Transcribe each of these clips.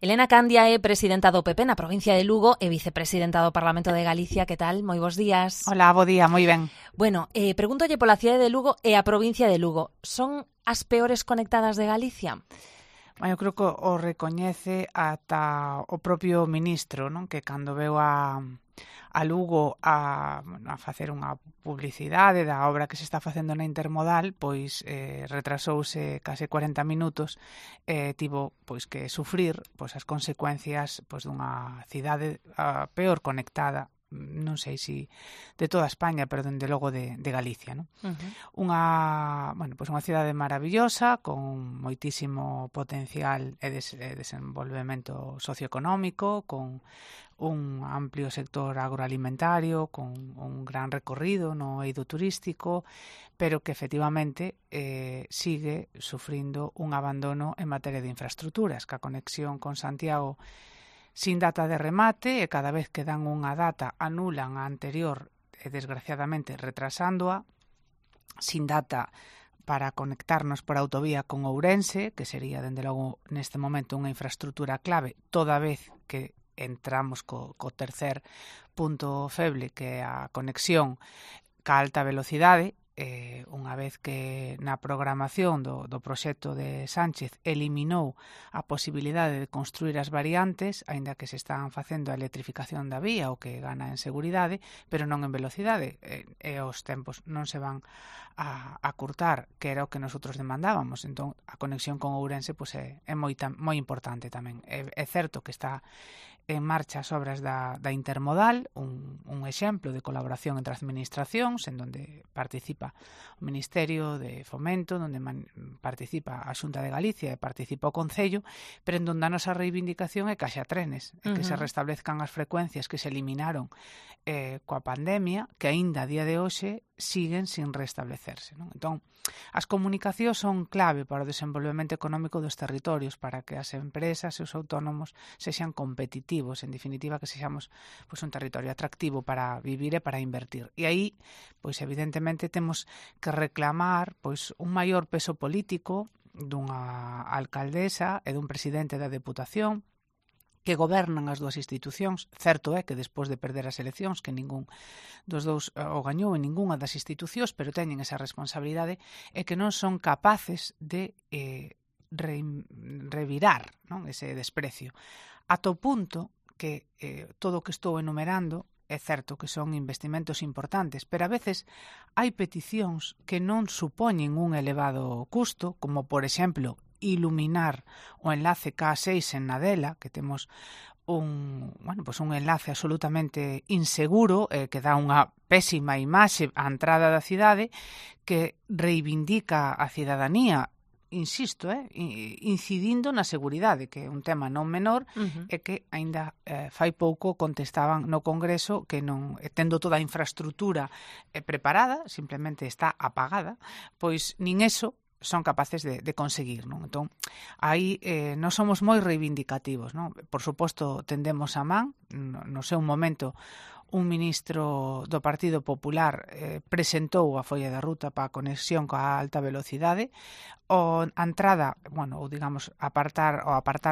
Elena Candia é presidenta do PP na provincia de Lugo e vicepresidenta do Parlamento de Galicia. Que tal? Moi bons días. Hola, bo día, moi ben. Bueno, pregúntolle pola cidade de Lugo e a provincia de Lugo. Son as peores conectadas de Galicia? Eu creo que o recoñece ata o propio ministro, non? Que cando veu a Lugo a facer unha publicidade da obra que se está facendo na Intermodal, pois retrasouse case 40 minutos e tivo pois que sufrir pois as consecuencias pois dunha cidade peor conectada, non sei se de toda España, pero dende logo de Galicia, non? Unha cidade maravillosa con moitísimo potencial e desenvolvemento socioeconómico, con un amplio sector agroalimentario, con un gran recorrido no eido turístico, pero que efectivamente sigue sufrindo un abandono en materia de infraestructuras, que a conexión con Santiago sin data de remate e cada vez que dan unha data anulan a anterior e desgraciadamente retrasándoa, sin data para conectarnos por autovía con Ourense, que sería dende logo neste momento unha infraestructura clave, toda vez que entramos co tercer punto feble, que é a conexión ca alta velocidade. Unha vez que na programación do proxecto de Sánchez eliminou a posibilidade de construir as variantes, aínda que se están facendo a electrificación da vía, o que gana en seguridade, pero non en velocidade, e os tempos non se van a curtar, que era o que nosotros demandábamos. Entón, a conexión con Ourense pois, é moi importante tamén. É certo que está en marcha as obras da Intermodal, un exemplo de colaboración entre administracións, en donde participa o Ministerio de Fomento, donde participa a Xunta de Galicia e participa o Concello, pero en donde a nosa reivindicación é que haxa trenes, e que se restablezcan as frecuencias que se eliminaron coa pandemia, que aínda a día de hoxe siguen sin restablecerse, non? Entón, as comunicacións son clave para o desenvolvemento económico dos territorios, para que as empresas e os autónomos sexan competitivos, en definitiva que sexamos pois, un territorio atractivo para vivir e para invertir. E aí, pois evidentemente temos que reclamar pois un maior peso político dunha alcaldesa e dun presidente da Deputación que gobernan as dúas institucións. Certo é que despois de perder as eleccións, que ningún dos dous o gañou en ningunha das institucións, pero teñen esa responsabilidade e que non son capaces de revirar, non, ese desprecio. Ata o punto que todo o que estou enumerando é certo que son investimentos importantes, pero a veces hai peticións que non supoñen un elevado custo, como por exemplo iluminar o enlace K6 en Nadela, que temos un enlace absolutamente inseguro, que dá unha pésima imaxe á entrada da cidade, que reivindica a cidadanía, insisto, incidindo na seguridade, que é un tema non menor, e que aínda fai pouco contestaban no Congreso que non, tendo toda a infraestructura preparada, simplemente está apagada, pois nin eso son capaces de conseguir, non? Entón, aí nós somos moi reivindicativos, non? Por suposto, tendemos a man, no seu momento, un ministro do Partido Popular presentou a folla de ruta para a conexión coa alta velocidade, a entrada, ou digamos, apartar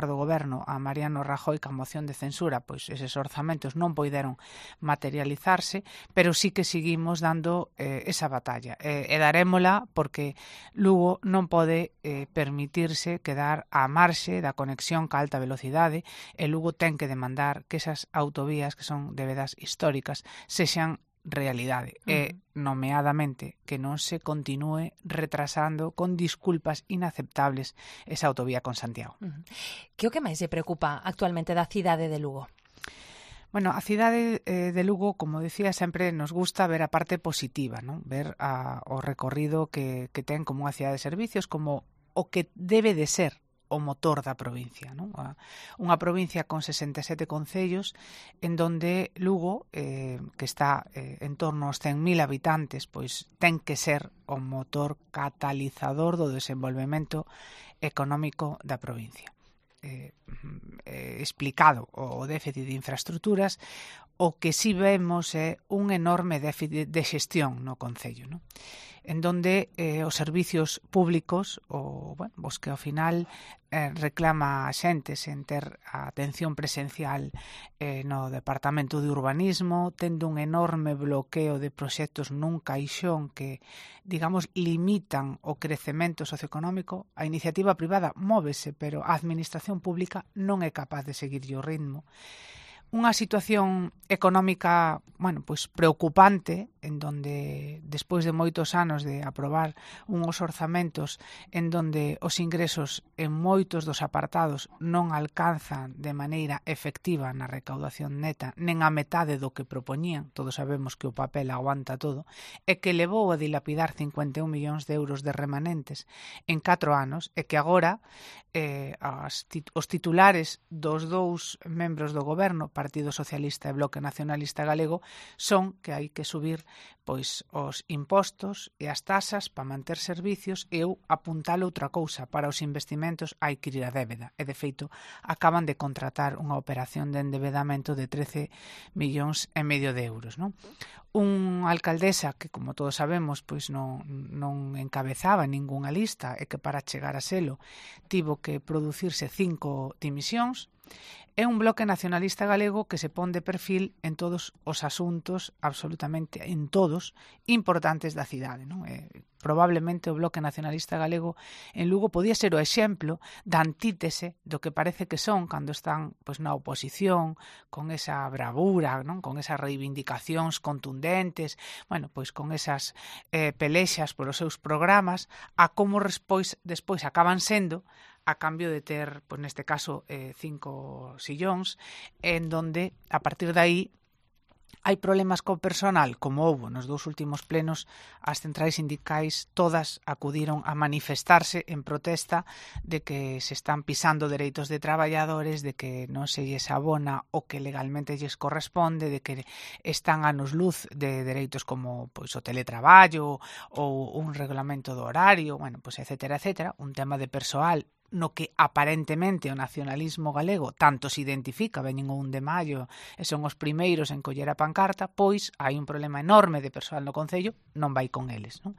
do goberno a Mariano Rajoy ca moción de censura, pois eses orzamentos non poideron materializarse, pero sí que seguimos dando esa batalla, e darémola porque Lugo non pode permitirse quedar á marxe da conexión ca alta velocidade, e Lugo ten que demandar que esas autovías que son de vedas históricas sexan realidade, e nomeadamente que non se continúe retrasando con disculpas inaceptables esa autovía con Santiago. Que o que máis se preocupa actualmente da cidade de Lugo? Bueno, a cidade de Lugo, como decía, sempre nos gusta ver a parte positiva, non? Ver o recorrido que ten como unha cidade de servicios, como o que debe de ser o motor da provincia, non? Unha provincia con 67 concellos en donde Lugo, que está en torno aos 100.000 habitantes, pois ten que ser o motor catalizador do desenvolvemento económico da provincia. Explicado o déficit de infraestructuras, o que si vemos é un enorme déficit de xestión no Concello, non? En donde os servicios públicos, os que ao final reclama a xente sen ter a atención presencial no Departamento de Urbanismo, tendo un enorme bloqueo de proxectos nun caixón que, digamos, limitan o crecemento socioeconómico. A iniciativa privada móvese, pero a administración pública non é capaz de seguirlle o ritmo. Unha situación económica, pois preocupante, en donde despois de moitos anos de aprobar uns orzamentos en donde os ingresos en moitos dos apartados non alcanzan de maneira efectiva na recaudación neta, nen a metade do que propoñían, todos sabemos que o papel aguanta todo, e que levou a dilapidar 51 millóns de euros de remanentes en 4 anos, e que agora os titulares dos dous membros do goberno, Partido Socialista e Bloque Nacionalista Galego, son que hai que subir pois os impostos e as tasas para manter servicios, e eu apuntalo outra cousa, para os investimentos hai que ir a débeda, e de feito acaban de contratar unha operación de endebedamento de 13,5 millóns de euros, non? Unha alcaldesa que, como todos sabemos, pois non encabezaba ningunha lista e que para chegar a selo tivo que producirse 5 dimisións, é un Bloque Nacionalista Galego que se pon de perfil en todos os asuntos, absolutamente en todos, importantes da cidade, non? Probablemente o Bloque Nacionalista Galego en Lugo podía ser o exemplo da antítese do que parece que son cando están pois na oposición, con esa bravura, non? Con esas reivindicacións contundentes, pois con esas pelexas polos seus programas, a como despois acaban sendo a cambio de ter, pois neste caso, 5 sillóns, en donde, a partir de aí, hai problemas co personal, como houbo nos 2 últimos plenos, as centrais sindicais todas acudiron a manifestarse en protesta de que se están pisando dereitos de traballadores, de que non se lles abona o que legalmente lles corresponde, de que están anos luz de dereitos como pois o teletraballo ou un regulamento do horario, pois etcétera, etcétera, un tema de persoal no que aparentemente o nacionalismo galego tanto se identifica, veñen o 1 de maio e son os primeiros en coller a pancarta, pois hai un problema enorme de persoal no Concello, non vai con eles, non?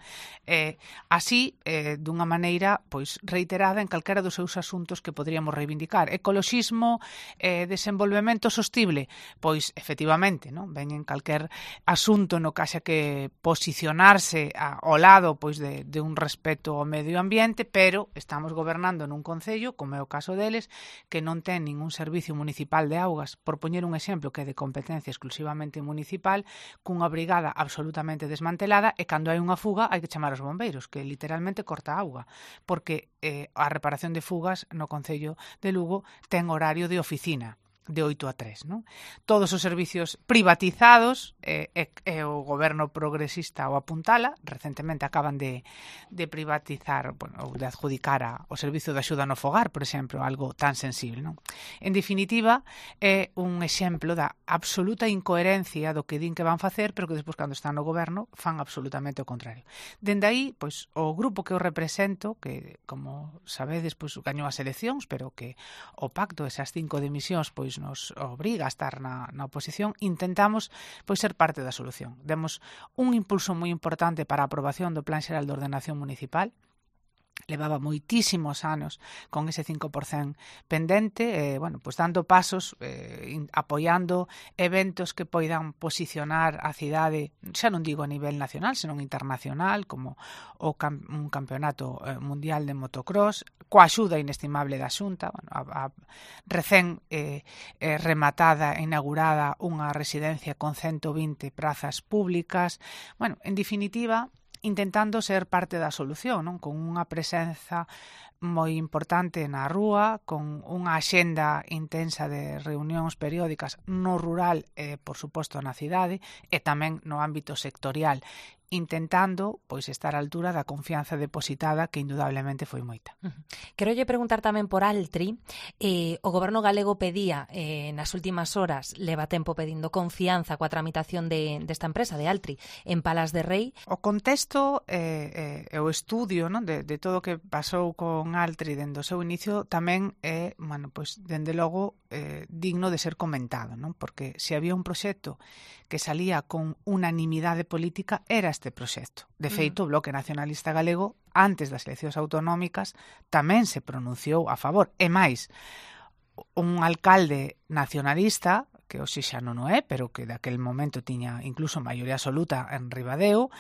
Así, dunha maneira pois reiterada en calquera dos seus asuntos que poderíamos reivindicar. Ecoloxismo, desenvolvemento sostible, pois efectivamente, non? Veñen calquer asunto no que haxa que posicionarse ao lado pois de un respeto ao medio ambiente, pero estamos gobernando nun Concello, como é o caso deles, que non ten ningún servicio municipal de augas, por poñer un exemplo que é de competencia exclusivamente municipal, cunha brigada absolutamente desmantelada, e cando hai unha fuga hai que chamar aos bombeiros, que literalmente corta a auga, porque a reparación de fugas no Concello de Lugo ten horario de oficina, de 8 a 3, non? Todos os servicios privatizados, o goberno progresista o apuntala, recentemente acaban de privatizar, ou de adjudicar o servicio de axuda no fogar, por exemplo, algo tan sensible, non? En definitiva, é un exemplo da absoluta incoherencia do que din que van facer, pero que despois, cando están no goberno, fan absolutamente o contrario. Dende aí, pois, o grupo que eu represento, que, como sabedes, pois, gañou as eleccións, pero que o pacto, esas 5 dimisións, pois, nos obriga a estar na oposición, intentamos pois ser parte da solución. Demos un impulso moi importante para a aprobación do Plan Xeral de Ordenación Municipal. Levaba moitísimos anos con ese 5% pendente, pois dando pasos, apoiando eventos que poidan posicionar a cidade, xa non digo a nivel nacional, senón internacional, como un campeonato mundial de motocross, coa axuda inestimable da Xunta, a recén rematada e inaugurada unha residencia con 120 prazas públicas, en definitiva, intentando ser parte da solución, non? Con unha presenza moi importante na rúa, con unha axenda intensa de reunións periódicas no rural e, por suposto, na cidade, e tamén no ámbito sectorial, intentando pois estar á altura da confianza depositada, que indudablemente foi moita. Quero lle preguntar tamén por Altri. O goberno galego pedía nas últimas horas, leva tempo pedindo confianza coa tramitación desta empresa, de Altri, en Palas de Rei. O contexto e o estudio, non, de todo o que pasou con Plan Altri dende o seu inicio tamén é, pois, dende logo, digno de ser comentado, non? Porque se había un proxecto que salía con unanimidade política era este proxecto. De feito, o Bloque Nacionalista Galego, antes das eleccións autonómicas, tamén se pronunciou a favor. E máis, un alcalde nacionalista, que hoxe xa non o é, pero que daquel momento tiña incluso maioría absoluta en Ribadeo,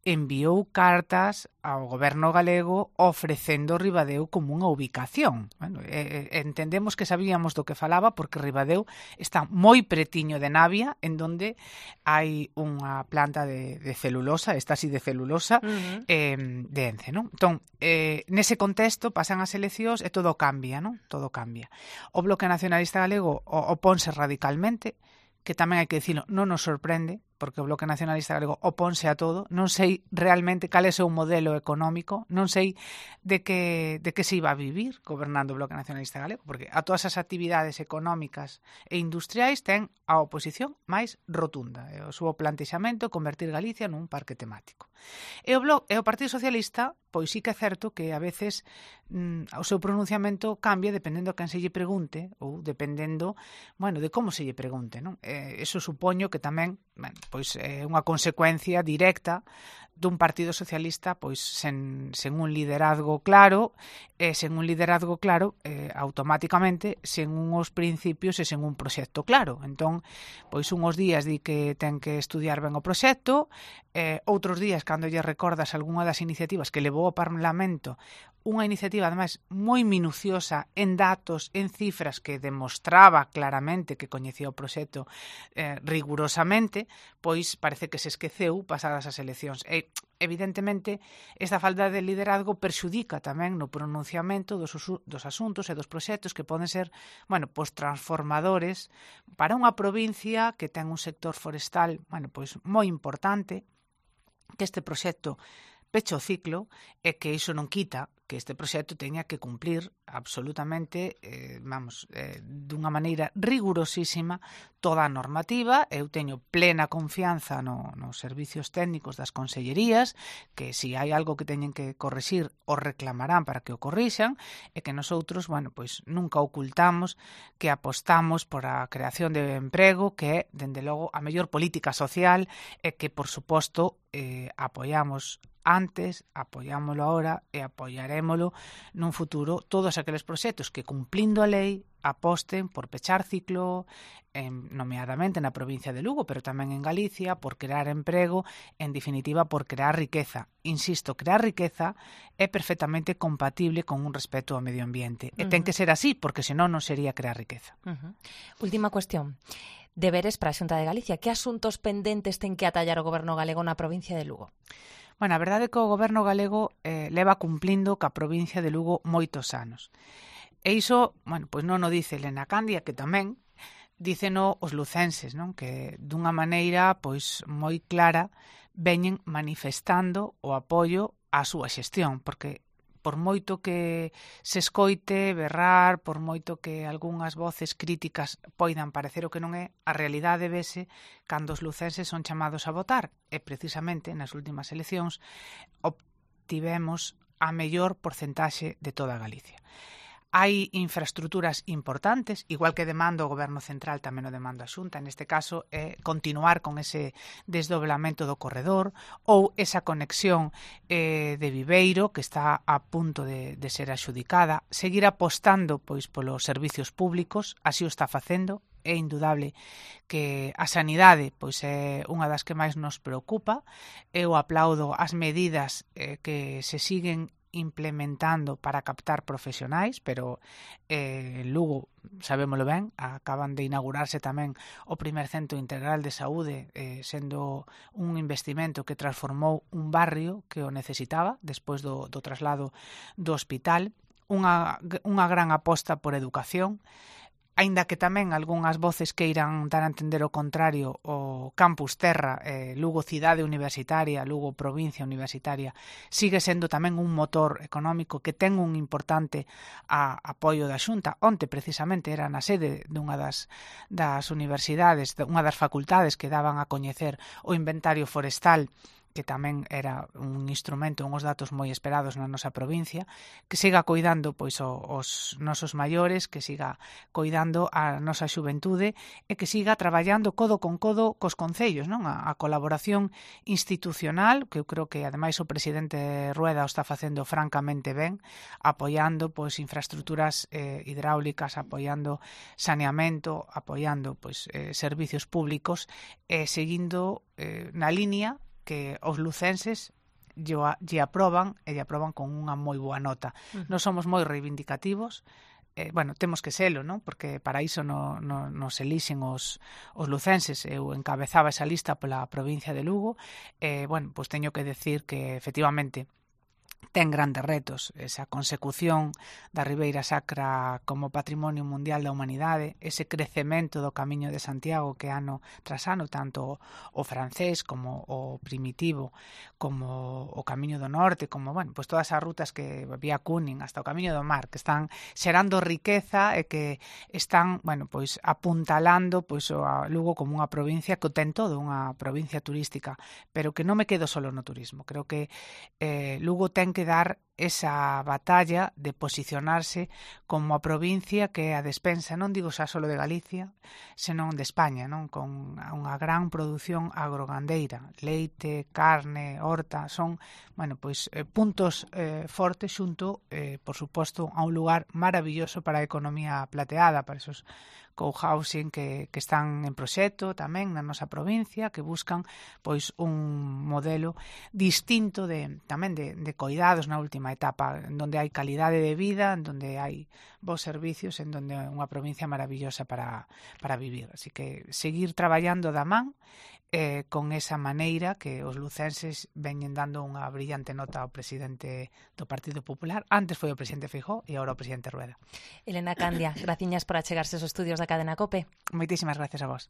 enviou cartas ao goberno galego ofrecendo Ribadeo como unha ubicación. Bueno, entendemos que sabíamos do que falaba porque Ribadeo está moi pretiño de Navia, en donde hai unha planta de celulosa, estasi de celulosa, de Ence, non? Entón, nese contexto pasan as eleccións e todo cambia, non? Todo cambia. O Bloque Nacionalista Galego oponse radicalmente, que tamén hai que dicilo, non nos sorprende, porque o Bloque Nacionalista Galego oponse a todo. Non sei realmente cal é o seu modelo económico, non sei de que se iba a vivir gobernando o Bloque Nacionalista Galego, porque a todas as actividades económicas e industriais ten a oposición máis rotunda. O seu plantexamento é convertir Galicia nun parque temático. E o Partido Socialista, pois sí que é certo que a veces o seu pronunciamento cambia dependendo a quen se lle pregunte ou dependendo, de como se lle pregunte, non? Eso supoño que tamén, pois é unha consecuencia directa dun Partido Socialista pois sen un liderazgo claro, automáticamente sen unhos principios e sen un proxecto claro. Entón, pois unhos días di que ten que estudiar ben o proxecto, outros días cando lle recordas algunha das iniciativas que levou ao Parlamento, unha iniciativa ademais moi minuciosa en datos, en cifras que demostraba claramente que coñecía o proxecto rigurosamente, pois parece que se esqueceu pasadas as eleccións. E, evidentemente, esta falta de liderazgo perxudica tamén no pronunciamento dos asuntos e dos proxectos que poden ser, pois transformadores para unha provincia que ten un sector forestal, pois moi importante, que este proxecto peche o ciclo e que iso non quita que este proxecto teña que cumplir absolutamente, dunha maneira rigurosísima toda a normativa. Eu teño plena confianza nos servicios técnicos das consellerías, que se hai algo que teñen que corrixir, o reclamarán para que o corrixan, e que nosotros, pois nunca ocultamos que apostamos por a creación de emprego, que é, dende logo, a mellor política social, e que, por suposto, apoiamos antes, apoiámolo ahora e apoiarémolo nun futuro todos aqueles proxectos que, cumplindo a lei, aposten por pechar ciclo, nomeadamente na provincia de Lugo, pero tamén en Galicia, por crear emprego, en definitiva, por crear riqueza. Insisto, crear riqueza é perfectamente compatible con un respeto ao medio ambiente. E ten que ser así, porque senón non sería crear riqueza. Última cuestión. Deberes para a Xunta de Galicia. Que asuntos pendentes ten que atallar o goberno galego na provincia de Lugo? A verdade é que o goberno galego leva cumplindo ca provincia de Lugo moitos anos. E iso, pois non o dice Elena Candia, que tamén díceno os lucenses, non? Que dunha maneira pois moi clara veñen manifestando o apoio á súa xestión, porque por moito que se escoite berrar, por moito que algunhas voces críticas poidan parecer o que non é, a realidade vese cando os lucenses son chamados a votar. E precisamente nas últimas eleccións obtivemos a mellor porcentaxe de toda Galicia. Hai infraestruturas importantes, igual que demanda o Goberno Central, tamén o demanda a Xunta, neste caso é continuar con ese desdoblamento do corredor ou esa conexión de Viveiro, que está a punto de ser adxudicada, seguir apostando pois polos servicios públicos, así o está facendo. É indudable que a sanidade pois é unha das que máis nos preocupa. Eu aplaudo as medidas que se siguen implementando para captar profesionais, pero en Lugo, sabémolo ben, acaban de inaugurarse tamén o primer centro integral de saúde, sendo un investimento que transformou un barrio que o necesitaba despois do traslado do hospital, unha gran aposta por educación. Aínda que tamén algunhas voces queiran dar a entender o contrario, o Campus Terra, Lugo cidade universitaria, Lugo provincia universitaria, sigue sendo tamén un motor económico que ten un importante apoio da Xunta. Onte, precisamente, era na sede dunha das universidades, unha das facultades que daban a coñecer o inventario forestal que tamén era un instrumento, uns datos moi esperados na nosa provincia, que siga coidando pois os nosos maiores, que siga coidando a nosa xuventude e que siga traballando codo con codo cos concellos, non? A colaboración institucional, que eu creo que ademais o presidente Rueda o está facendo francamente ben, apoiando pois infraestructuras hidráulicas, apoiando saneamento, apoiando pois servicios públicos e seguindo na línea que os lucenses lle aproban e lle aproban con unha moi boa nota. Nós somos moi reivindicativos, temos que selo, non? Porque para iso nos elixen os lucenses. Eu encabezaba esa lista pola provincia de Lugo, pois teño que decir que efectivamente ten grandes retos esa consecución da Ribeira Sacra como Patrimonio Mundial da Humanidade, ese crecemento do Camiño de Santiago que ano tras ano, tanto o francés como o primitivo, como o Camiño do Norte, como, pois todas as rutas que vía Cúnin hasta o Camiño do Mar, que están xerando riqueza e que están, pois apuntalando pois a Lugo como unha provincia que ten todo, unha provincia turística, pero que non me quedo solo no turismo. Creo que Lugo ten que dar esa batalla de posicionarse como a provincia que é a despensa, non digo xa solo de Galicia, senón de España, non? Con unha gran produción agrogandeira, leite, carne, horta, son, puntos fortes xunto, por suposto, a un lugar maravilloso para a economía plateada, para esos co-housing que están en proxecto tamén na nosa provincia, que buscan pois un modelo distinto tamén de coidados na última etapa, en donde hai calidade de vida, en donde hai bons servicios, en donde é unha provincia maravillosa para vivir. Así que seguir traballando da man con esa maneira que os lucenses veñen dando unha brillante nota ao presidente do Partido Popular. Antes foi o presidente Feijóo e agora o presidente Rueda. Elena Candia, graciñas por achegarse aos estudios da Cadena COPE. Moitísimas gracias a vos.